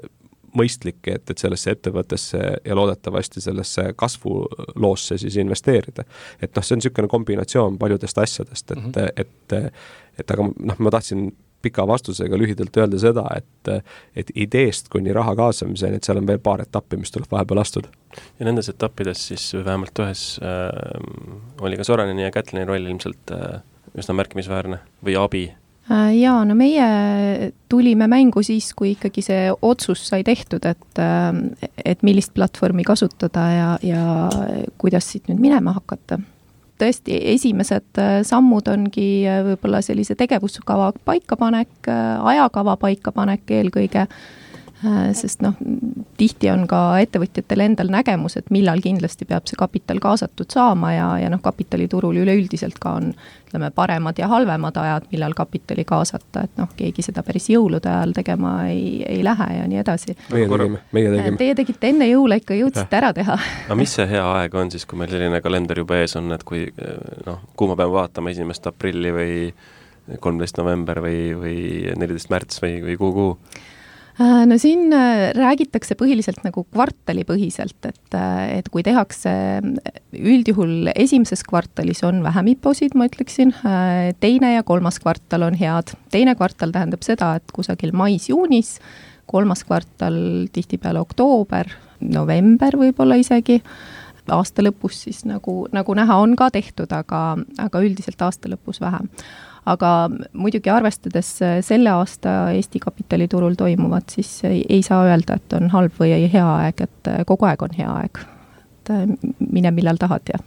mõistlik, et, et sellesse ettevõttesse ja loodetavasti sellesse kasvuloosse siis investeerida. Et noh, see on niisugune kombinatsioon paljudest asjadest, et, mm-hmm. et, et aga noh, ma tahtsin pika vastusega lühidalt öelda seda, et, et ideest kuni raha kaasamiseni, et seal on veel paar etappi, mis tuleb vahepeal astuda. Ja nendes etappides siis vähemalt ühes äh, oli ka Soraineni ja Kätlini roll ilmselt äh, üsna märkimisväärne või abi? Jaa, no meie tulime mängu siis, kui ikkagi see otsus sai tehtud, et, et millist platvormi kasutada ja, ja kuidas siit nüüd minema hakata. Tõesti, esimesed sammud ongi võib-olla sellise tegevuskava paikapanek, ajakava paikapanek eelkõige, sest noh, tihti on ka ettevõtjatel endal nägemus, et millal kindlasti peab see kapital kaasatud saama ja, ja noh, kapitaliturul üleüldiselt ka on ütleme, paremad ja halvemad ajad, millal kapitali kaasata, et noh, keegi seda päris jõulude ajal tegema ei, ei lähe ja nii edasi. Meie tegime, meie tegime. Teie tegite enne jõule ikka jõudsite ära teha. Aga mis see hea aeg on siis, kui meil selline kalender juba ees on, et kui noh, kuhu ma pean vaatama esimest aprilli või kolmteist november või, või neliteist märts või, või kuhu kuhu? No siin räägitakse põhiliselt nagu kvartalipõhiselt, et, et kui tehakse üldjuhul esimeses kvartalis on vähem iposid, ma ütleksin, teine ja kolmas kvartal on head. Teine kvartal tähendab seda, et kusagil mais-juunis, kolmas kvartal tihtipeale oktoober, november võib-olla isegi, aasta lõpus siis nagu, nagu näha on ka tehtud, aga, aga üldiselt aasta lõpus vähem. Aga muidugi arvestades selle aasta Eesti kapitaliturul toimuvat, siis ei, ei saa öelda, et on halb või hea aeg, et kogu aeg on hea aeg. Et mine millal tahad ja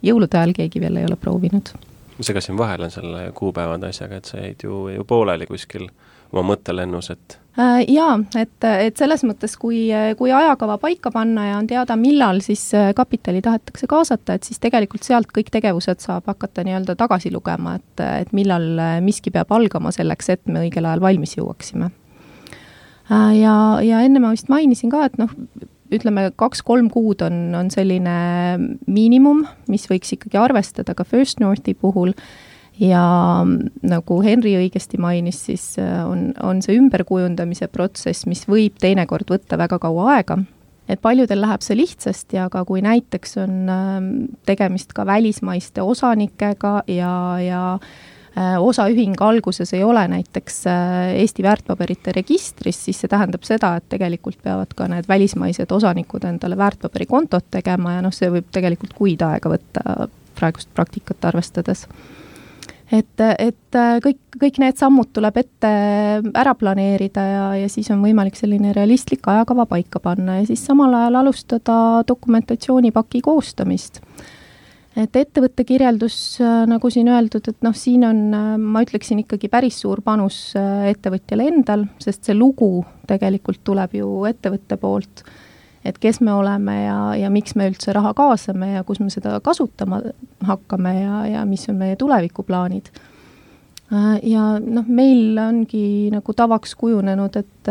jõulude ajal keegi veel ei ole proovinud. Ma segasin vahel on selle kuupäevade asjaga, et sa jäid ju, ju pooleli kuskil oma mõttelennus, et Jaa, et, et selles mõttes, kui, kui ajakava paika panna ja on teada, millal siis kapitali tahetakse kaasata, et siis tegelikult sealt kõik tegevused saab hakata nii-öelda tagasi lugema, et, et millal miski peab algama selleks, et me õigel ajal valmis jõuaksime. Ja, ja enne ma vist mainisin ka, et noh, ütleme, kaks-kolm kuud on, on selline miinimum, mis võiks ikkagi arvestada ka First Northi puhul. Ja nagu Henri õigesti mainis, siis on, on see ümberkujundamise protsess, mis võib teinekord võtta väga kaua aega. Et paljudel läheb see lihtsasti, aga kui näiteks on tegemist ka välismaiste osanikega ja, ja osaühing alguses ei ole näiteks Eesti väärtpaberite registris, siis see tähendab seda, et tegelikult peavad ka need välismaised osanikud endale väärtpaberikontot tegema ja noh, see võib tegelikult kuid aega võtta praegust praktikat arvestades. Et, et kõik, kõik need sammud tuleb ette ära planeerida ja, ja siis on võimalik selline realistlik ajakava paika panna ja siis samal ajal alustada dokumentatsioonipaki koostamist. Et ettevõtte kirjeldus, nagu siin öeldud, et noh, siin on, ma ütleksin ikkagi päris suur panus ettevõtjale endal, sest see lugu tegelikult tuleb ju ettevõtte poolt. et kes me oleme ja, ja miks me üldse raha kaasame ja kus me seda kasutama hakkame ja, ja mis on meie tulevikuplaanid. Ja noh, meil ongi nagu tavaks kujunenud, et,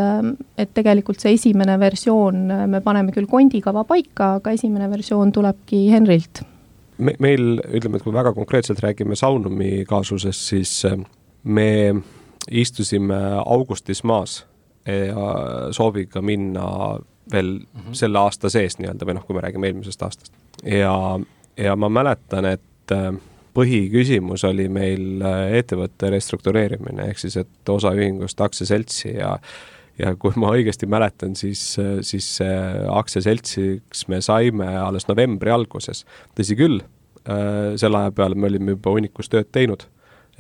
et tegelikult see esimene versioon, me paneme küll kondikava paika, aga esimene versioon tulebki Henrilt. Me, meil, ütleme, et kui väga konkreetselt räägime Saunumi kaasusest, siis me istusime augustis maas ja sooviga minna veel mm-hmm. selle aasta sees nii-öelda, või noh, kui me räägime eelmisest aastast. Ja, ja ma mäletan, et põhiküsimus oli meil ettevõtte restruktureerimine, ehk siis, et osaühingust aktsiaseltsi ja, ja kui ma õigesti mäletan, siis, siis aktsiaseltsiks me saime alles novembri alguses. Tõsi küll, selle aja peale me olime juba hunnikus tööd teinud,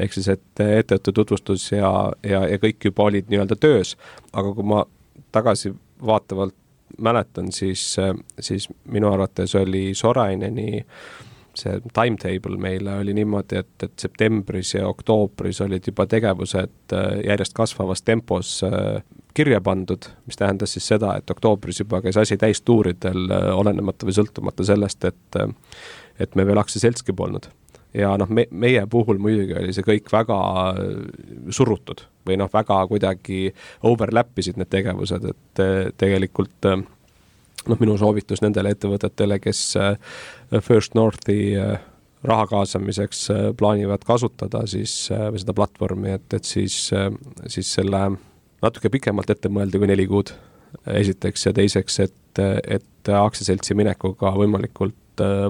ehk siis, et ettevõtte tutvustus ja, ja, ja kõik juba olid nii-öelda töös, aga kui ma tagasi vaatavalt mäletan, siis, siis minu arvates oli Soraineni see timetable meile oli niimoodi, et, et septembris ja oktoobris olid juba tegevused järjest kasvavas tempos kirja pandud, mis tähendas siis seda, et oktoobris juba käis asi täistuuridel, olenemata või sõltumata sellest, et, et me veel aktsiaseltski polnud. Ja noh, me, meie puhul muidugi oli see kõik väga surutud või noh, väga kuidagi overlappisid need tegevused, et tegelikult noh, minu soovitus nendele ettevõtetele, kes First Northi raha kaasamiseks plaanivad kasutada siis või seda platvormi, et, et siis, siis selle natuke pikemalt ette mõelda kui neli kuud esiteks ja teiseks, et, et aktsiaseltsi minekuga võimalikult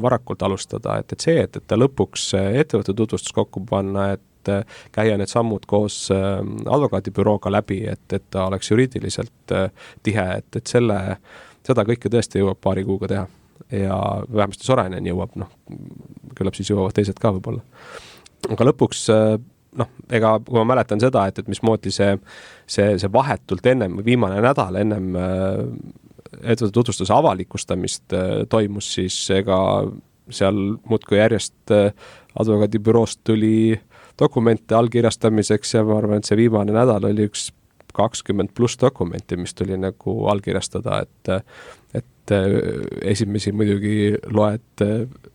varakult alustada, et, et see, et, et ta lõpuks ettevõtte tutvustus kokku panna, et käia need sammud koos advokaadibürooga läbi, et, et ta oleks juriidiliselt tihe, et, et selle seda kõike tõesti jõuab paari kuuga teha ja vähemasti Sorainen jõuab, noh, küllap siis jõuavad teised ka võib-olla. Aga lõpuks, noh, ega kui ma mäletan seda, et, et mismoodi see, see, see vahetult ennem, viimane nädal ennem ettevõtte tutvustuse avalikustamist toimus, siis ega seal muudkui järjest advokaadibüroost tuli dokumente allkirjastamiseks ja ma arvan, et see viimane nädal oli üks kakskümmend pluss dokumenti, mis tuli nagu allkirjastada, et, et esimesi muidugi loed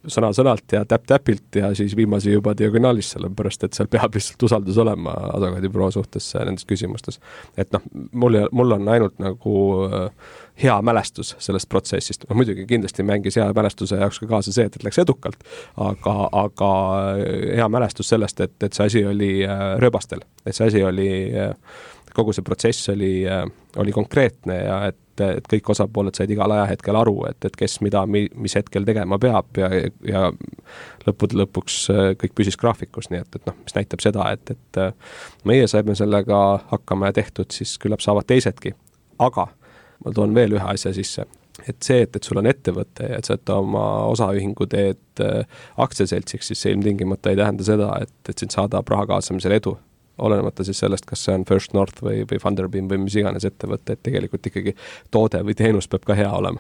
sõna-sõnalt ja täpp-täpilt ja siis viimasi juba diagonaalis, sellepärast, et seal peab lihtsalt usaldus olema advokaadibüroo suhtes nendes küsimustes. Et noh, mul, mul on ainult nagu hea mälestus sellest protsessist. No, muidugi kindlasti mängis hea mälestuse jaoks ka kaasa see, et, et läks edukalt, aga, aga hea mälestus sellest, et, et see asi oli rööbastel, et see asi oli kogu see protsess oli, oli konkreetne ja et, et kõik osapooled said igal ajahetkel aru, et, et kes mida, mis hetkel tegema peab ja, ja lõppude lõpuks kõik püsis graafikus, nii et, et noh, mis näitab seda, et, et meie saime sellega hakkama ja tehtud, siis küllap saavad teisedki. Aga ma toon veel ühe asja sisse, et see, et, et sul on ettevõte ja et sa et oma osaühingu teed aktsiaseltsiks, siis see ilmtingimata ei tähenda seda, et, et sind saadab raha kaasamisel edu. Olenemata siis sellest, kas see on First North või, või Funderbeam või mis iganes ettevõte, et tegelikult ikkagi toode või teenus peab ka hea olema.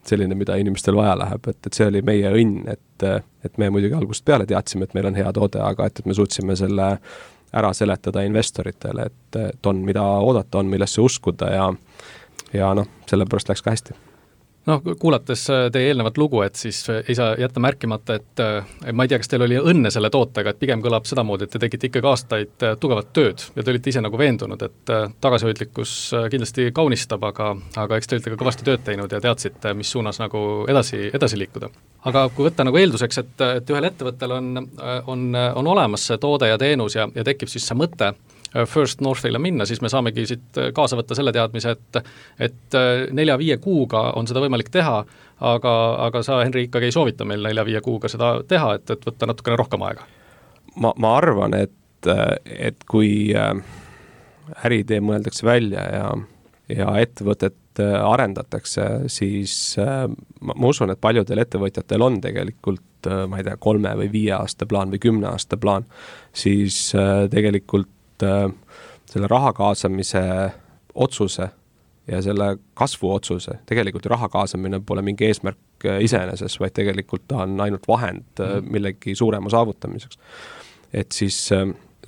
Selline, mida inimestel vaja läheb, et, et see oli meie õnn, et, et me muidugi algusest peale teadsime, et meil on hea toode, aga et, et me suutsime selle ära seletada investoritele, et, et on mida oodata, on millesse uskuda ja, ja noh, sellepärast läks ka hästi. Noh, kuulates teie eelnevat lugu, et siis ei saa jätta märkimata, et ma ei tea, kas teil oli õnne selle tootega, et pigem kõlab seda moodi, et te tegite ikkagi aastaid tugevat tööd ja te olite ise nagu veendunud, et tagasihoidlikkus kindlasti kaunistab, aga, aga eks te olite ka kõvasti tööd teinud ja teadsite, mis suunas nagu edasi, edasi liikuda. Aga kui võtta nagu eelduseks, et, et ühel ettevõttel on, on, on olemas see toode ja teenus ja, ja tekib siis see mõte First Northile minna, siis me saamegi siit kaasa võtta selle teadmise, et, et nelja-viie kuuga on seda võimalik teha, aga, aga sa, Henri, ikkagi ei soovita meil nelja-viie kuuga seda teha, et, et võtta natukene rohkem aega. Ma, ma arvan, et, et kui äriidee mõeldakse välja ja, ja ettevõtet arendatakse, siis ma, ma usun, et paljudel ettevõtjatel on tegelikult, ma ei tea, kolme või viie aasta plaan või kümne aasta plaan, siis tegelikult selle raha kaasamise otsuse ja selle kasvu otsuse, tegelikult raha kaasamine pole mingi eesmärk iseeneses, vaid tegelikult ta on ainult vahend millegi suurema saavutamiseks. Et siis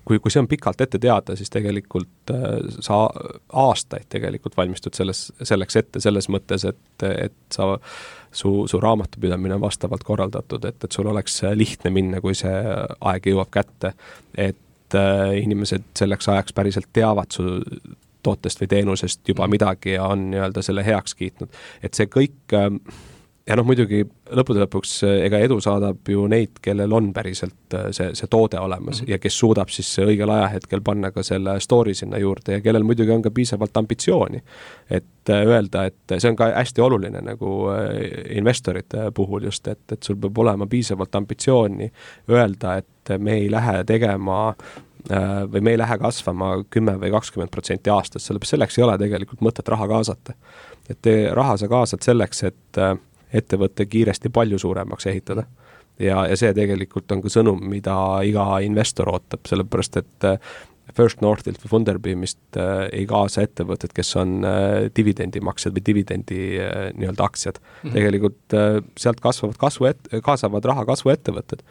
kui, kui see on pikalt ette teada, siis tegelikult sa aastaid tegelikult valmistud selles, selleks ette, selles mõttes, et, et sa, su, su raamatupidamine on vastavalt korraldatud, et, et sul oleks lihtne minna, kui see aeg jõuab kätte, et inimesed selleks ajaks päriselt teavad su tootest või teenusest juba midagi ja on nii-öelda selle heaks kiitnud. Et see kõik ja noh, muidugi lõppude lõpuks ega edu saadab ju neid, kellel on päriselt see, see toode olemas mm-hmm. ja kes suudab siis õigel ajahetkel panna ka selle story sinna juurde ja kellel muidugi on ka piisavalt ambitsiooni. Et öelda, et see on ka hästi oluline nagu investorite puhul just, et, et sul peab olema piisavalt ambitsiooni öelda, et me ei lähe tegema või me ei lähe kasvama kümme või kakskümmend protsenti aastas, sellepärast selleks ei ole tegelikult mõtet raha kaasata. Et te, raha sa kaasad selleks, et ettevõtte kiiresti palju suuremaks ehitada. Ja, ja see tegelikult on ka sõnum, mida iga investor ootab, sellepärast et First Northilt või Funderbeamist ei kaasa ettevõtted, kes on dividendimaksjad või dividendi nii-öelda aktsiad. Mm-hmm. Tegelikult sealt kasvavad kasvu et, kaasavad raha kasvuettevõtted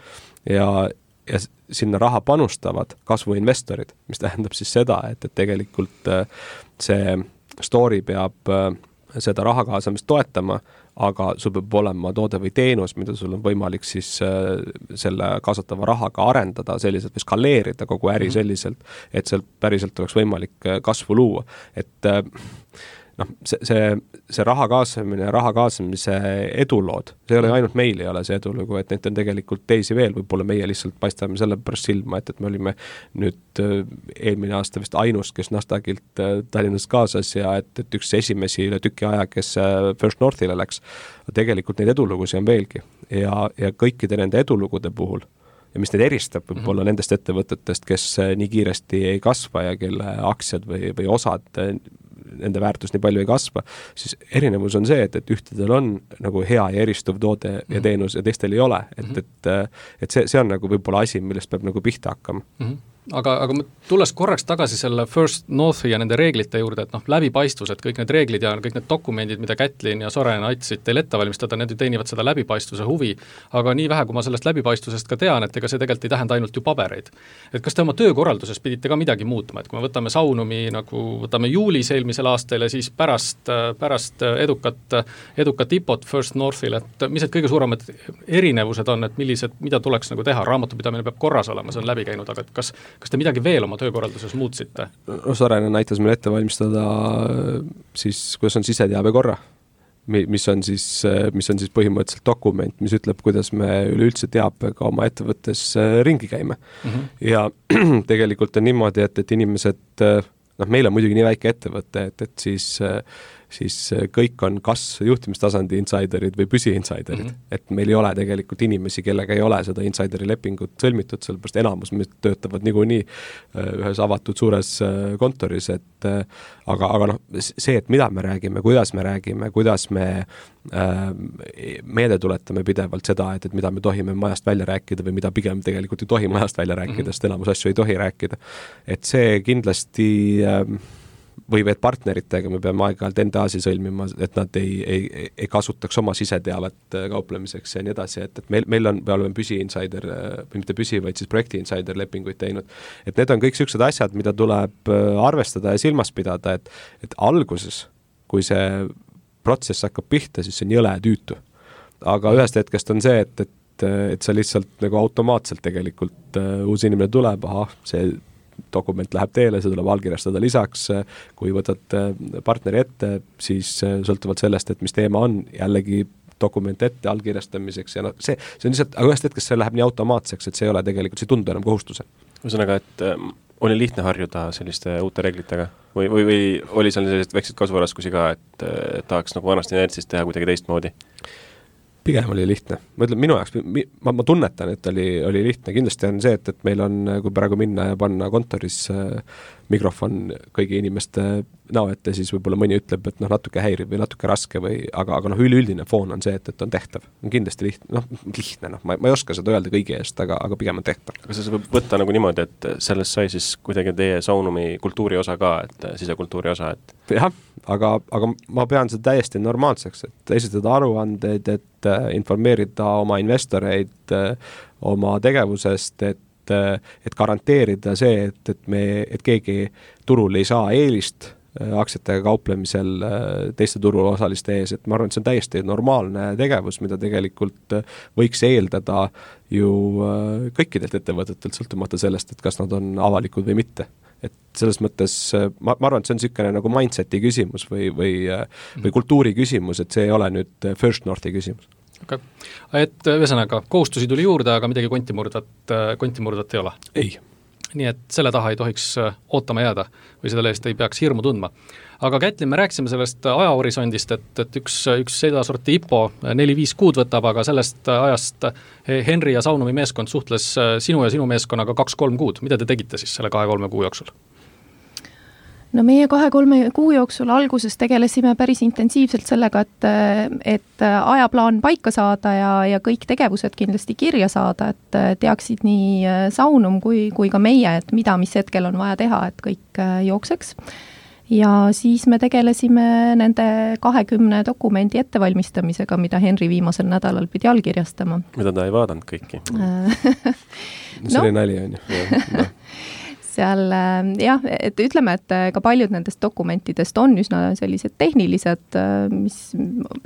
ja ja sinna raha panustavad kasvuinvestorid, mis tähendab siis seda, et, et tegelikult see story peab seda raha kaasamist toetama, aga sul peab olema toode või teenus, mida sul on võimalik siis selle kaasatava rahaga arendada selliselt või skaleerida kogu äri selliselt, et seal päriselt oleks võimalik kasvu luua. Et noh, see, see, see raha kaasamine ja raha kaasamise edulood, see ei ole ainult meil ei ole see edulugu, et neid on tegelikult teisi veel, võib-olla meie lihtsalt paistame selle pärast silma, et, et me olime nüüd eelmine aasta vist ainus, kes Nasdaqilt Tallinnas kaasas ja et, et üks esimesi üle tüki aja, kes First Northile läks, tegelikult neid edulugusi on veelgi ja, ja kõikide nende edulugude puhul ja mis neid eristab võib-olla mm-hmm. nendest ettevõtetest, kes nii kiiresti ei kasva ja kelle aktsiad või, või osad nende väärtus nii palju ei kasva, siis erinevus on see, et, et ühtedel on nagu hea ja eristuv toode mm-hmm. ja teenus ja teistel ei ole, et, mm-hmm. et, et see, see on nagu võib-olla asi, millest peab nagu pihta hakkama. Mm-hmm. Aga, aga tulles korraks tagasi selle First Northi ja nende reeglite juurde, et noh, läbipaistvus, et kõik need reeglid ja kõik need dokumendid, mida Kätlin ja Soren aitasid teil ette valmistada, need teenivad seda läbipaistvuse huvi, aga nii vähe, kui ma sellest läbipaistvusest ka tean, et ega see tegelikult ei tähenda ainult ju pabereid. Et kas te oma töökorralduses pidite ka midagi muutma, et kui me võtame Saunumi nagu võtame juulis eelmisel aastal ja siis pärast, pärast edukat, edukat I P O-t First Northil, et mis need kõige suuremad erinevused on, et millised, mida tuleks nagu teha, raamatupidamine peab korras olema, see on läbi käinud, aga kas Kas te midagi veel oma töökorralduses muutsite? No Soren näitas meil ette valmistada siis, kuidas on siseteabe korra, mis on siis, mis on siis põhimõtteliselt dokument, mis ütleb, kuidas me üleüldse teabega oma ettevõttes ringi käime. Mm-hmm. Ja tegelikult on niimoodi, et, et inimesed, noh, meil on muidugi nii väike ettevõte, et, et siis siis kõik on kas juhtimistasandi insiderid või püsi-insiderid. Mm-hmm. Et meil ei ole tegelikult inimesi, kellega ei ole seda insideri lepingut sõlmitud, sellepärast enamus me töötavad niikuinii ühes avatud suures kontoris, et aga, aga noh, see, et mida me räägime, kuidas me räägime, kuidas me äh, meelde tuletame pidevalt seda, et, et mida me tohime majast välja rääkida või mida pigem tegelikult ei tohi majast välja rääkida, mm-hmm. sest enamus asju ei tohi rääkida. Et see kindlasti äh, või et partneritega me peame aeg-ajalt N D A-si sõlmima, et nad ei, ei, ei kasutaks oma siseteavet kauplemiseks ja nii edasi, et, et meil, meil on, me oleme püsi-insider, või mitte püsi, vaid siis projekti-insider lepinguid teinud. Et need on kõik sellised asjad, mida tuleb arvestada ja silmas pidada, et, et alguses, kui see protsess hakkab pihta, siis see on jõle tüütu. Aga ühest hetkest on see, et, et, et sa lihtsalt nagu automaatselt tegelikult uh, uus inimene tuleb, aha, see dokument läheb teele, see tuleb allkirjastada lisaks, kui võtad partneri ette, siis sõltuvalt sellest, et mis teema on, jällegi dokument ette allkirjastamiseks ja no see, see on lihtsalt, aga ühest hetkest see läheb nii automaatseks, et see ei ole tegelikult, see ei tundu enam kohustuse. Ühesõnaga, et äh, oli lihtne harjuda selliste uute reeglitega või, või, või oli seal sellised väiksed kasvuraskusi ka, et äh, tahaks nagu vanasti inertsist teha kuidagi teistmoodi? Pigem oli lihtne. Ma ütlen, minu jaoks, ma, ma tunnetan, et oli, oli lihtne. Kindlasti on see, et, et meil on, kui praegu minna ja panna kontoris äh, mikrofon kõigi inimeste näo ette, siis võib-olla mõni ütleb, et noh, natuke häirib või natuke raske või, aga, aga noh, üleüldine foon on see, et, et on tehtav. On kindlasti lihtne, noh, lihtne, noh, ma, ma ei oska seda öelda kõigi eest, aga, aga pigem on tehtav. Aga see võib võtta nagu niimoodi, et sellest sai siis kuidagi teie Saunumi kultuuri osa ka, et sisekultuuri osa, et jah, aga, aga ma pean seda täiesti normaalseks, et esitada aruandeid, et informeerida oma investoreid oma tegevusest, et et, et garanteerida see, et, et, me, et keegi turul ei saa eelist aktsiatega kauplemisel teiste turuosaliste ees, et ma arvan, et see on täiesti normaalne tegevus, mida tegelikult võiks eeldada ju kõikidelt ettevõtetelt, sõltumata sellest, et kas nad on avalikud või mitte. Et selles mõttes, ma, ma arvan, et see on niisugune nagu mindseti küsimus või, või, või kultuuri küsimus, et see ei ole nüüd First Northi küsimus. Okay. Et ühesõnaga, kohustusi tuli juurde, aga midagi kontimurdvat, kontimurdvat ei ole? Ei. Nii et selle taha ei tohiks ootama jääda või selle eest ei peaks hirmu tundma. Aga Kätlin, me rääkisime sellest ajahorisondist, et, et üks, üks seda sorti I P O neli viis kuud võtab, aga sellest ajast Henri ja Saunumi meeskond suhtles sinu ja sinu meeskonnaga kaks kolm kuud. Mida te tegite siis selle kahe kolme kuu jooksul? No meie kahe-kolme kuu jooksul alguses tegelesime päris intensiivselt sellega, et, et ajaplaan paika saada ja, ja kõik tegevused kindlasti kirja saada, et teaksid nii Saunum kui, kui ka meie, et mida, mis hetkel on vaja teha, et kõik jookseks. Ja siis me tegelesime nende kahekümne dokumendi ettevalmistamisega, mida Henri viimasel nädalal pidi allkirjastama. Mida ta ei vaadanud kõiki? See oli no. nali, on ju. seal jah, et ütleme, et ka paljud nendest dokumentidest on üsna sellised tehnilised, mis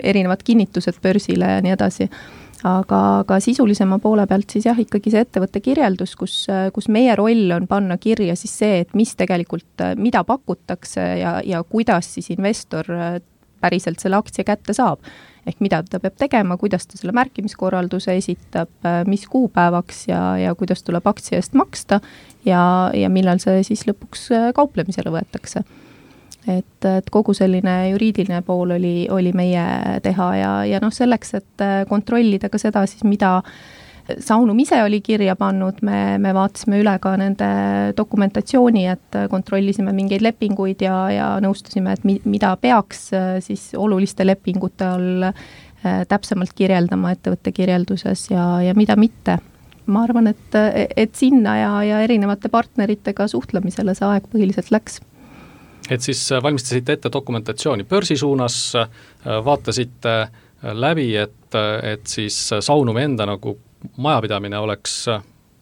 erinevad kinnitused börsile ja nii edasi, aga, aga sisulisema poole pealt siis jah, ikkagi see ettevõtte kirjeldus, kus, kus meie roll on panna kirja siis see, et mis tegelikult, mida pakutakse ja, ja kuidas siis investor päriselt selle aktsia kätte saab. Ehk mida ta peab tegema, kuidas ta selle märkimiskorralduse esitab, mis kuupäevaks ja, ja kuidas tuleb aktsia eest maksta ja, ja millal see siis lõpuks kauplemisele võetakse. Et, et kogu selline juriidiline pool oli, oli meie teha ja, ja noh, selleks, et kontrollida ka seda siis, mida Saunum ise oli kirja pannud, me, me vaatasime üle ka nende dokumentatsiooni, et kontrollisime mingeid lepinguid ja, ja nõustusime, et mi, mida peaks siis oluliste lepingute all täpsemalt kirjeldama ettevõtte kirjelduses ja, ja mida mitte. Ma arvan, et, et sinna ja, ja erinevate partneritega suhtlemisele see aeg põhiliselt läks. Et siis valmistasite ette dokumentatsiooni börsi suunas, vaatasite läbi, et, et siis Saunumi enda nagu majapidamine oleks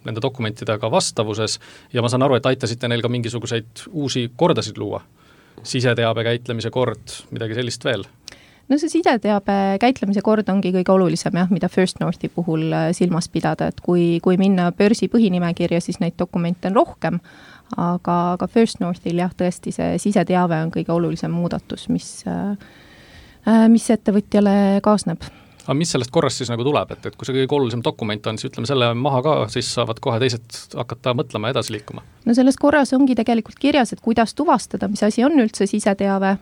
nende dokumentidega vastavuses ja ma saan aru, et aitasite neil ka mingisuguseid uusi kordasid luua. Siseteabe käitlemise kord, midagi sellist veel? No see sideteabe käitlemise kord ongi kõige olulisem, jah, mida First Northi puhul silmas pidada, et kui, kui minna börsi põhinimekirja, siis neid dokumente on rohkem, aga, aga First Northil jah, tõesti see siseteave on kõige olulisem muudatus, mis, mis ettevõtjale kaasneb. Aga mis sellest korrast siis nagu tuleb, et, et kui see kõige olulisem dokument on, siis ütleme selle maha ka, siis saavad kohe teised hakata mõtlema edasi liikuma? No selles korras ongi tegelikult kirjas, et kuidas tuvastada, mis asi on üldse siseteave,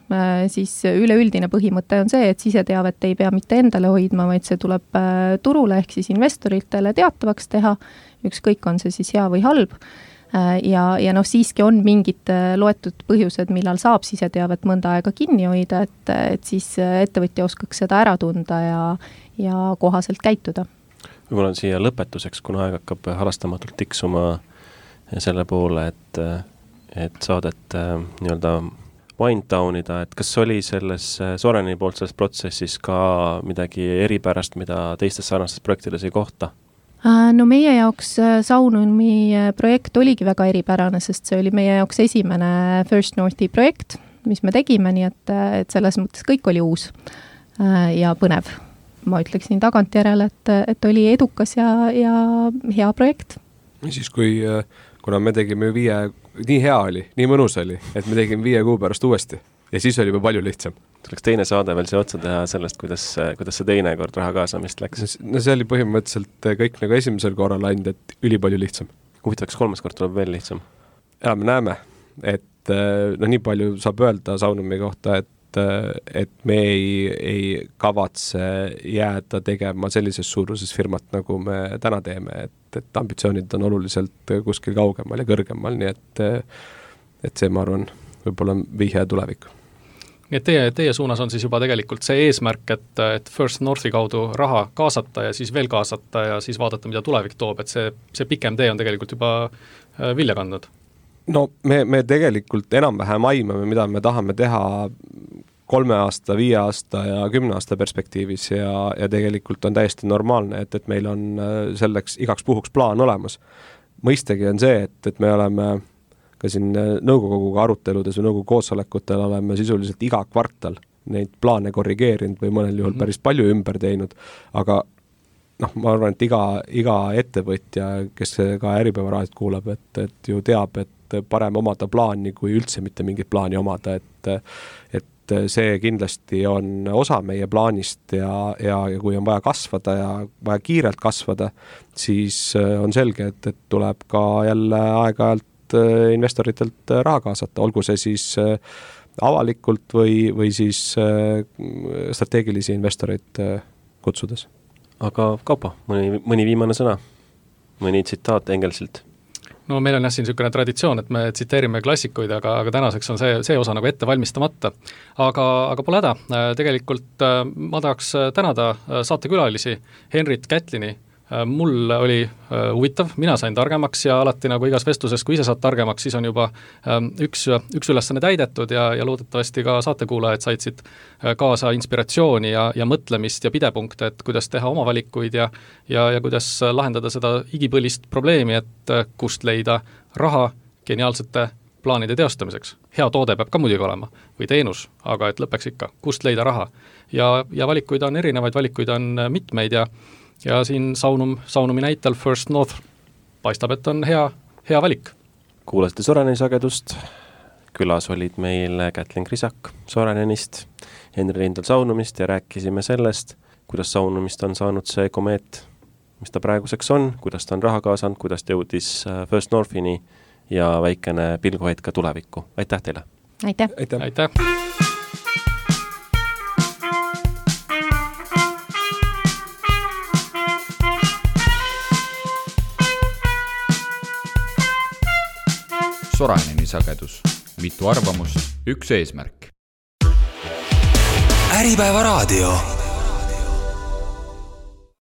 siis üleüldine põhimõte on see, et siseteavet ei pea mitte endale hoidma, vaid see tuleb turule ehk siis investoritele teatavaks teha, ükskõik on see siis hea või halb. Ja, ja noh, siiski on mingid loetud põhjused, millal saab siseteavet mõnda aega kinni hoida, et, et siis ettevõtja oskaks seda ära tunda ja, ja kohaselt käituda. Võib-olla on siia lõpetuseks, kuna aeg hakkab halastamatult tiksuma selle poole, et, et saadet nii-öelda wind downida, et kas oli selles Soreni poolt selles protsessis ka midagi eripärast, mida teistes sarnastes projektides ei kohta? No meie jaoks Saunumi projekt oligi väga eripärane, sest see oli meie jaoks esimene First Northi projekt, mis me tegime, nii et, et selles mõttes kõik oli uus ja põnev. Ma ütleksin tagantjärele, et, et oli edukas ja, ja hea projekt. Siis kui, kuna me tegime viie, nii hea oli, nii mõnus oli, et me tegime viie kuu pärast uuesti ja siis oli juba palju lihtsam. Tuleks teine saade veel see otsa teha sellest, kuidas, kuidas see teine kord raha kaasamist läks. No see oli põhimõtteliselt kõik nagu esimesel korral ainult, et üli palju lihtsam. Huvitavaks kolmas kord tuleb veel lihtsam? Ja me näeme, et no nii palju saab öelda Saunumi kohta, et, et me ei, ei kavatse jääda tegema sellises suuruses firmat, nagu me täna teeme, et, et ambitsioonid on oluliselt kuskil kaugemal ja kõrgemal, nii et, et see, ma arvan, võib-olla vihje tulevikku. Nii et teie, teie suunas on siis juba tegelikult see eesmärk, et, et First Northi kaudu raha kaasata ja siis veel kaasata ja siis vaadata, mida tulevik toob, et see, see pikem tee on tegelikult juba vilja kandnud. No me, me tegelikult enam-vähem aimame, mida me tahame teha kolme aasta, viie aasta ja kümne aasta perspektiivis ja, ja tegelikult on täiesti normaalne, et, et meil on selleks igaks puhuks plaan olemas. mõistagi on see, et, et me oleme ka siin nõukoguga aruteludes või nõukogu koosolekutel oleme sisuliselt iga kvartal neid plaane korrigeerinud või mõnel juhul mm -hmm. päris palju ümber teinud, aga noh, ma arvan, et iga, iga ettevõtja, kes ka Äripäeva raadiot kuulab, et, et ju teab, et parem omada plaani, kui üldse mitte mingit plaani omada, et, et see kindlasti on osa meie plaanist ja, ja, ja kui on vaja kasvada ja vaja kiirelt kasvada, siis on selge, et, et tuleb ka jälle aeg-ajalt investoritelt raha kaasata, olgu see siis avalikult või, või siis strateegilisi investoreid kutsudes. Aga Kaupo, mõni, mõni viimane sõna, mõni tsitaat Engelsilt? No meil on jah siin niisugune traditsioon, et me tsiteerime klassikuid, aga, aga tänaseks on see, see osa nagu ette valmistamata. Aga, aga pole häda, tegelikult ma tahaks tänada saatekülalisi Henrit Kätlini. Mul oli huvitav, mina sain targemaks ja alati nagu igas vestluses, kui ise saad targemaks, siis on juba üks, üks ülesanne täidetud ja, ja loodetavasti ka saatekuulajad said siit kaasa inspiratsiooni ja, ja mõtlemist ja pidepunkte, et kuidas teha oma valikuid ja, ja, ja kuidas lahendada seda igipõlist probleemi, et kust leida raha geniaalsete plaanide teostamiseks. Hea toode peab ka muidugi olema või teenus, aga et lõpeks ikka, kust leida raha. Ja, ja valikuid on erinevaid, valikuid on mitmeid ja ja siin Saunum, Saunumi näitel First North paistab, et on hea, hea valik. Kuulasite Soraineni sagedust, külas olid meil Kätlin Krisak Sorainenist, Henri Rindal Saunumist ja rääkisime sellest, kuidas Saunumist on saanud see komeet, mis ta praeguseks on, kuidas ta on raha kaasanud, kuidas ta jõudis First Northini ja väikene pilguhetk ka tulevikku. Aitäh teile! Aitäh! Aitäh! Aitäh. Soraineni sagedus. Mitu arvamust, üks eesmärk. Äripäeva raadio.